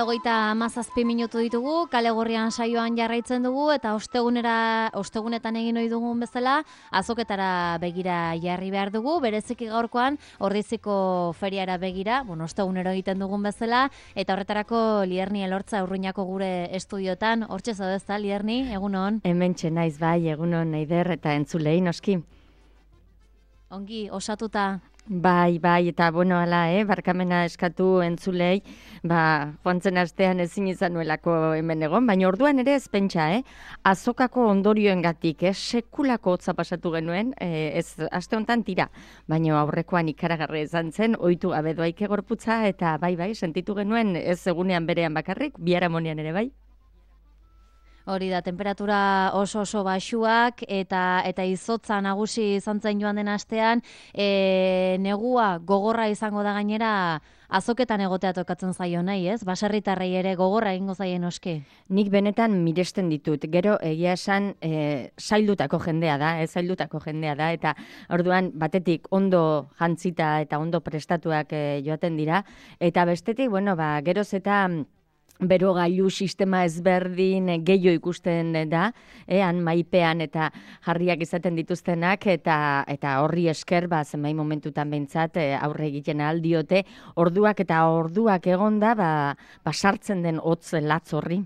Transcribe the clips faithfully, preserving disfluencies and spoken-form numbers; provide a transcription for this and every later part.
Hogeita hamazazpi minutu ditugu, kale gorrian saioan jarraitzen dugu eta ostegunera, ostegunetan egin ohi dugun bezala, azoketara begira jarri behar dugu, bereziki gaurkoan Ordiziko feriara begira, bueno, ostegunero egiten dugun bezala, eta horretarako Lierni Elortza Urruñako gure estudiotan, hortxe zaudezta, Lierni, egunon? Hementxe naiz bai, egunon Eider eta entzulei noski. Ongi, osatuta? Bai, bai, eta bueno, ala, eh, barkamena eskatu entzulei, ba, joan zen astean ezin izan nuelako hemen egon, baina orduan ere ez pentsa, eh, azokako ondorioengatik, eh, sekulako hotza pasatu genuen, eh, ez aste honetan tira, baina aurrekoan ikaragarri izan zen, ohitu gabe doaike gorputza, eta bai, bai, sentitu genuen ez egunean berean bakarrik, biharamonean ere bai. Hori da, temperatura oso oso baxuak eta eta izotza nagusi izan zen joan den astean, e, negua gogorra izango da gainera azoketan egotea tokatzen zaio nahi, ez? Baserritarrei ere gogorra egingo zaien oski. Nik benetan miresten ditut, gero egia esan e, zaildutako jendea da, ez zaildutako jendea da, eta orduan batetik ondo jantzita eta ondo prestatuak e, joaten dira, eta bestetik, bueno, ba, geroz eta berogailu sistema ezberdin gehiago ikusten da, ean maipean eta jarriak izaten dituztenak, eta eta horri esker, ba, zenbait momentutan behintzat aurre egiten aldiote, orduak eta orduak egonda, ba, ba sartzen den hotz latz horri.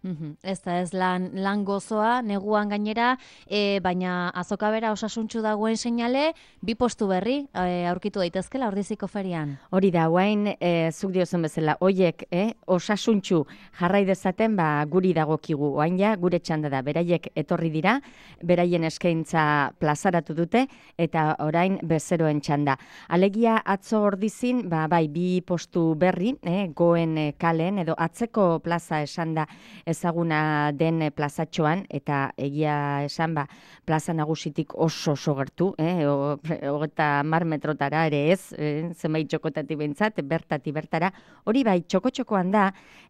Uhum. Ez da ez lan, lan gozoa, neguan gainera, e, baina azoka bera osasuntxu dagoen seinale, bi postu berri e, aurkitu daitezkela Ordiziko ferian. Hori da, guain, e, zuk diozen bezala, oiek, eh, osasuntxu jarrai dezaten, ba, guri dagokigu, oain ja, gure txanda da, beraiek etorri dira, beraien eskaintza plazaratu dute, eta orain bezeroen txanda. Alegia atzo Ordizin, ba, bai, bi postu berri, eh, goen eh, kalen, edo atzeko plaza esan da, ezaguna den plazatxoan, eta egia esan, ba, plaza nagusitik oso oso gertu, eh, hogeta mar metrotara ere ez, eh, zenbait txokotati bentzat, bertati bertara, hori bai, txoko-txokoan da,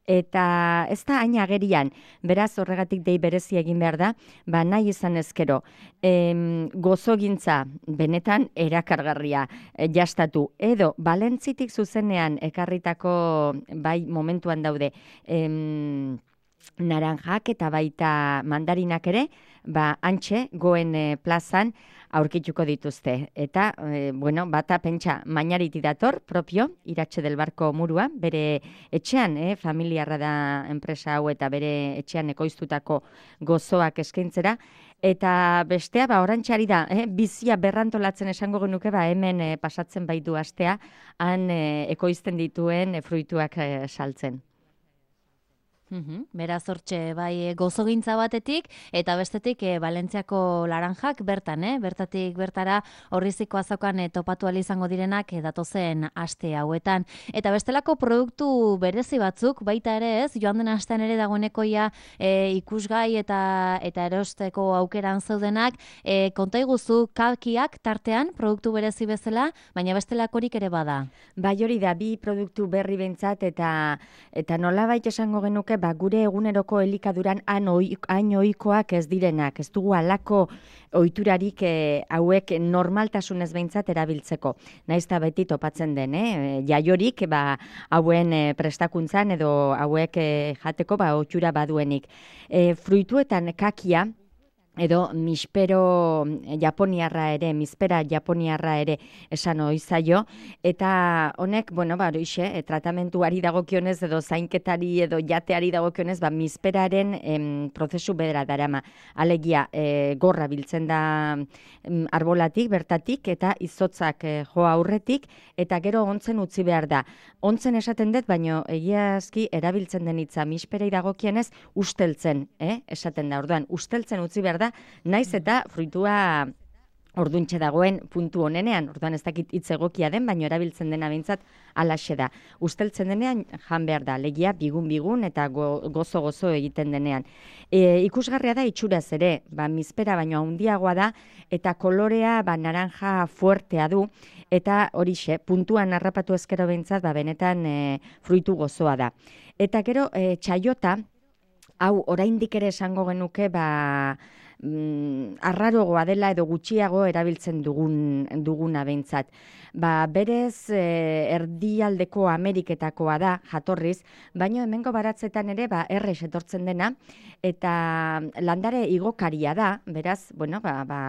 eta ez da hain agerian, beraz horregatik dei berezi egin behar da, ba, nahi izan ezkero, em, gozogintza benetan erakargarria eh, jastatu, edo Balentzitik zuzenean ekarritako, bai, momentuan daude, em, naranjak eta baita mandarinak ere, ba, antxe, goen e, plazan aurkituko dituzte. Eta, e, bueno, bata pentsa mainariti dator, propio, Iratxe del Barko murua, bere etxean, eh, familiarra da enpresa hau eta bere etxean ekoiztutako gozoak eskaintzera, eta bestea, ba, orantxari da, eh, bizia berrantolatzen esango genuke, ba, hemen eh, pasatzen baitu astea, han eh, ekoizten dituen eh, fruituak eh, saltzen. Uhum. Beraz hortxe bai gozogintza batetik eta bestetik e, Balentziako laranjak bertan, eh? Bertatik bertara Ordiziko azokan e, topatu ahal izango direnak e, datozen aste hauetan. Eta bestelako produktu berezi batzuk baita ere ez, joan den astean ere dagoeneko ja e, ikusgai eta eta erosteko aukeran zeudenak, e, konta iguzu kakiak tartean produktu berezi bezala, baina bestelakorik ere bada. Bai hori da, bi produktu berri bentzat eta eta nolabait esango genuke, ba, gure eguneroko elikaduran hain ohikoak ez direnak, ez dugu halako ohiturarik e, hauek normaltasunez behintzat erabiltzeko. Naiz eta beti topatzen den, eh? Jaiorik ba, hauen e, prestakuntzan edo hauek e, jateko ba, ohitura baduenik. E, fruituetan kakia, edo mispero japoniarra ere, mispera japoniarra ere esan ohi zaio, eta honek, bueno, ba, horixe, e, tratamentuari dagokionez edo zainketari edo jateari dagokionez, ba, misperaren em, prozesu bedera darama. Alegia, e, gorra biltzen da em, arbolatik, bertatik, eta izotzak e, joa aurretik, eta gero ontzen utzi behar da. Ontzen esaten dut, baino egiazki erabiltzen den hitza misperei dagokienez usteltzen, eh? Esaten da, orduan, usteltzen utzi behar da, naiz eta fruitua orduntxe dagoen puntu honenean, orduan ez dakit hitz egokia den, baino erabiltzen dena behintzat alaxe da. Usteltzen denean jan behar da, legia bigun-bigun eta gozo-gozo egiten denean. E, ikusgarria da itxuraz ere, ba, mispera baino handiagoa da, eta kolorea ba, naranja fuertea du, eta horixe, puntuan harrapatu ezkero behintzat, ba, benetan e, fruitu gozoa da. Eta gero, e, txaiota, hau oraindik ere esango genuke, ba, mm, arrarogoa dela edo gutxiago erabiltzen dugun, duguna behintzat. Ba, berez e, erdialdeko Ameriketakoa da jatorriz, baina hemengo baratzetan ere ba, errez etortzen dena, eta landare igokaria da, beraz, bueno, ba, ba,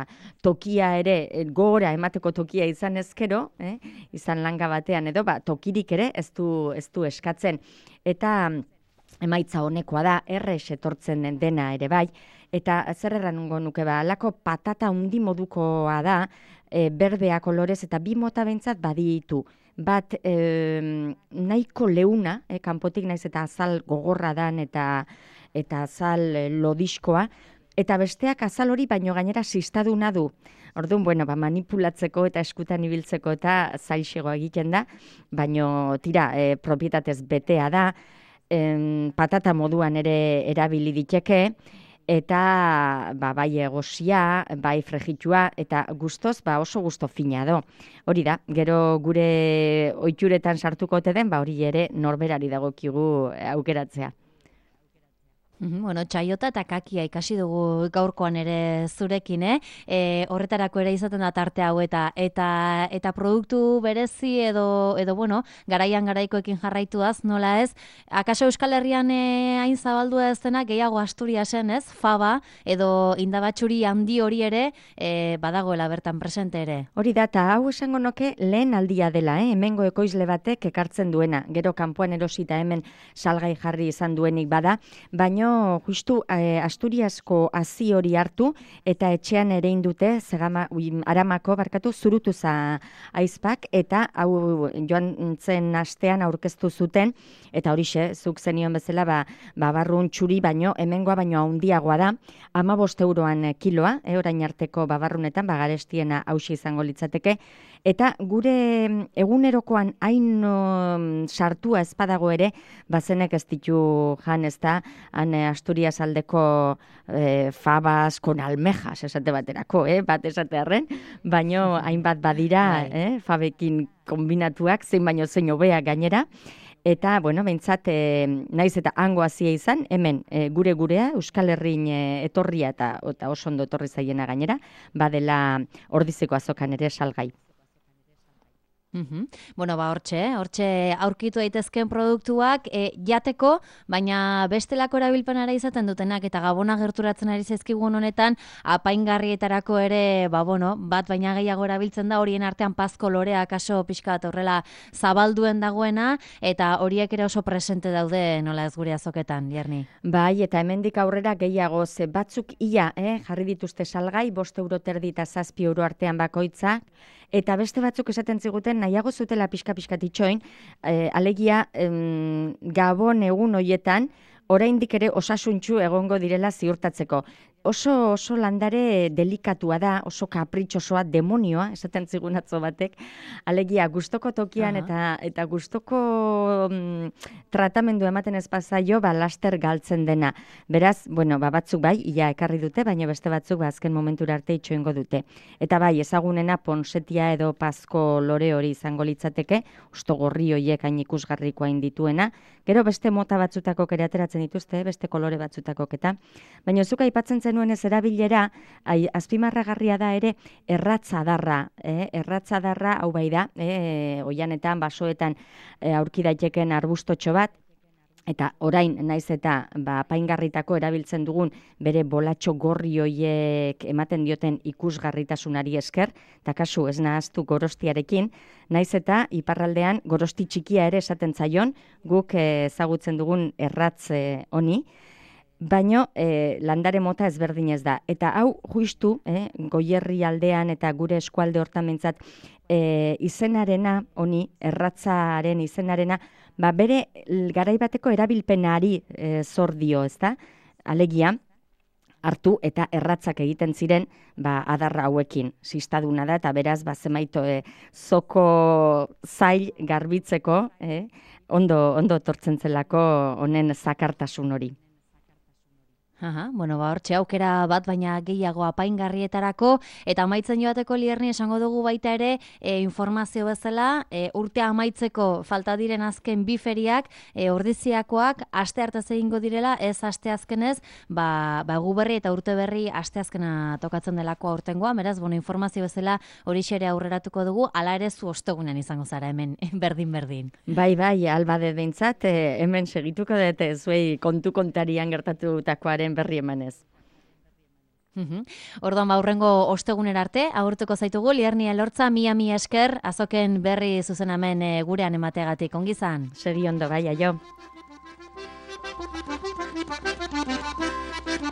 tokia ere, gora emateko tokia izan ezkero, eh, izan langa batean edo, ba, tokirik ere ez du, ez du eskatzen. Eta emaitza honekoa da, errez etortzen dena ere bai, eta zer errango nuke ba, alako patata undi modukoa da, e, berdea kolorez eta bi mota behintzat baditu. Bat e, nahiko leuna, e, kanpotik naiz eta azal gogorra dan eta eta azal lodiskoa, eta besteak azal hori baino gainera sistaduna du. Orduan, bueno, ba, manipulatzeko eta eskutan ibiltzeko eta zailxego egiten da, baino tira, e, propietatez betea da, em, patata moduan ere erabili diteke, eta ba, bai egosia, bai fregitua, eta gustoz ba, oso gusto fina do. Hori da, gero gure ohituretan sartuko ote den, ba, hori ere norberari dagokigu aukeratzea. Bueno, txaiota eta kakia ikasi dugu gaurkoan ere zurekin, eh? E, horretarako ere izaten da tarte hau eta eta eta produktu berezi edo edo bueno, garaian garaikoekin jarraituaz, nola ez? Akaso Euskal Herrian e, hain zabaldua ez dena gehiago Asturiasen, ez? Faba edo indabatxuri handi hori ere e, badagoela bertan presente ere. Hori da, eta hau esango noke lehen aldia dela, eh? Hemengo ekoizle batek ekartzen duena, gero kanpoan erosita hemen salgai jarri izan duenik bada, baino justu eh, Asturiasko hazi hori hartu eta etxean ere indute zegama, ui, aramako barkatu zurutuza aizpak eta hau joan zen astean aurkeztu zuten eta horixe, zuk zenion bezala ba, babarrun txuri baino, hemengoa baino handiagoa da, hamabost euroan kiloa, eh, orain arteko babarrunetan, bagarestiena hausi izango litzateke, eta gure egunerokoan hain um, sartua ezpadago ere, bazenek ez ditu jan ez da, han Asturias aldeko eh, fabas con almejas, esate baterako, eh, bat esate arren, baino hainbat badira eh, fabekin kombinatuak, zein baino zein hobea gainera, eta, bueno, behintzat, e, naiz eta hango hazia izan, hemen e, gure gurea, Euskal Herrin e, etorria eta, eta oso ondo etorri zaiena gainera, badela Ordizeko azokan ere salgai. Uhum. Bueno, ba, hortxe, hortxe aurkitu daitezkeen produktuak e, jateko, baina bestelako erabilpenara izaten dutenak eta Gabona gerturatzen ari zaizkigun honetan, apaingarrietarako ere, ba, bueno, bat baina gehiago erabiltzen da, horien artean pazko lorea kaso pixka bat horrela zabalduen dagoena, eta horiek ere oso presente daude nola ez gure azoketan, Jerni. Bai, eta hemendik aurrera gehiago, ze batzuk ia, eh, jarri dituzte salgai, bost euro terdi eta zazpi euro artean bakoitzak, eta beste batzuk esaten ziguten nahiago zutela pixka-pixkat itxoin, eh, alegia em, Gabon egun hoietan, oraindik ere osasuntxu egongo direla ziurtatzeko. Oso, oso landare delikatua da, oso kapritxosoa, demonioa, esaten zigun atzo batek, alegia gustoko tokian uh-huh. eta eta gustoko mm, tratamendu ematen ez pasaio, ba, laster galtzen dena. Beraz, bueno, ba, batzuk bai, ia ekarri dute, baina beste batzuk ba, azken momentura arte itxoengo dute. Eta bai, ezagunena ponsetia edo pazko lore hori izango litzateke, usto gorri hoiek hain ikusgarrikoa indituena, gero beste mota batzutako ere ateratzen dituzte, beste kolore batzutako eta. Baina zuka aipatzen zenuen ez erabilera, ai, azpimarragarria da ere erratzadarra, eh? erratzadarra hau bai da, eh? oianetan, basoetan eh, aurki daiteken arbustotxo bat, eta orain naiz eta ba, apaingarritako erabiltzen dugun bere bolatxo gorri hoiek ematen dioten ikusgarritasunari esker, eta kasu ez nahaztu gorostiarekin, naiz eta iparraldean gorosti txikia ere esaten zaion, guk ezagutzen dugun erratz honi, baino eh, landare mota ezberdinez da. Eta hau justu, eh, Goierri aldean eta gure eskualde hortan mentzat, eh, izenarena, honi, erratzaren izenarena, ba bere garaibateko erabilpenari eh, zor dio, ezta? Alegia, hartu eta erratzak egiten ziren ba, adarra hauekin. Sistaduna da eta beraz ba, zemaito e, zoko zail garbitzeko, eh, ondo, ondo tortzen zelako honen zakartasun hori. Aha, bueno, ba, hortxe aukera bat, baina gehiago apaingarrietarako, eta amaitzen joateko Lierni esango dugu baita ere, e, informazio bezala, e, urtea amaitzeko falta diren azken bi feriak, e, ordiziakoak aste hartaz egingo direla, ez aste azkenez, ba, ba gu berri eta urte berri aste azkena tokatzen delako aurtengoa, beraz, bueno, informazio bezala hori xere aurreratuko dugu, ala ere zu ostegunen izango zara hemen, berdin-berdin. Bai, bai, albade behintzat, e, hemen segituko dut, zuei kontu kontarian gertatutakoaren berri emanez. Mhm. Orduan ba hurrengo ostegunera arte agurtuko zaitugu Lierni Elortza, mila mila esker azoken berri zuzenamen e, gurean emateagatik. Ongi izan. Segi ondo, bai, aio.